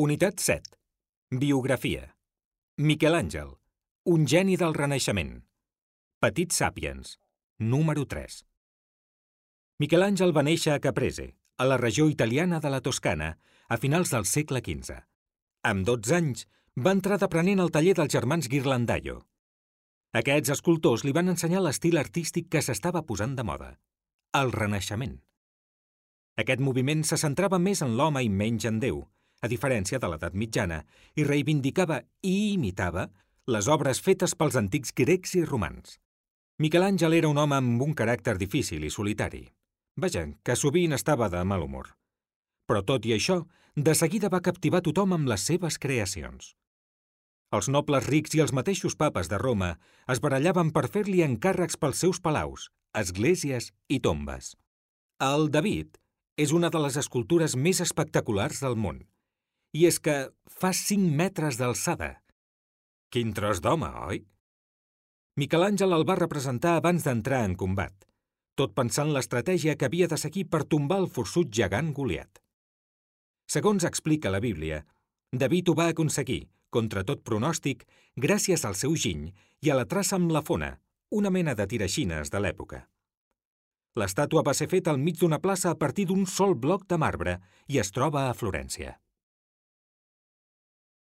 Unitat 7. Biografia. Miquel Àngel, un geni del Renaixement. Petit Sàpiens, número 3. Miquel Àngel va néixer a Caprese, a la regió italiana de la Toscana, a finals del segle XV. Amb 12 anys, va entrar d'aprenent al taller dels germans Ghirlandaio. Aquests escultors li van ensenyar l'estil artístic que s'estava posant de moda, el Renaixement. Aquest moviment se centrava més en l'home i menys en Déu, a diferència de l'edat mitjana, i reivindicava i imitava les obres fetes pels antics grecs i romans. Miquel Àngel era un home amb un caràcter difícil i solitari. Vaja, que sovint estava de mal humor. Però tot i això, de seguida va captivar tothom amb les seves creacions. Els nobles rics i els mateixos papes de Roma es barallaven per fer-li encàrrecs pels seus palaus, esglésies i tombes. El David és una de les escultures més espectaculars del món. I és que fa 5 metres d'alçada. Quin tros d'home, oi? Miquel Àngel el va representar abans d'entrar en combat, tot pensant l'estratègia que havia de seguir per tombar el forçut gegant Goliat. Segons explica la Bíblia, David ho va aconseguir, contra tot pronòstic, gràcies al seu giny i a la traça amb la fona, una mena de tiraixines de l'època. L'estàtua va ser feta al mig d'una plaça a partir d'un sol bloc de marbre i es troba a Florència.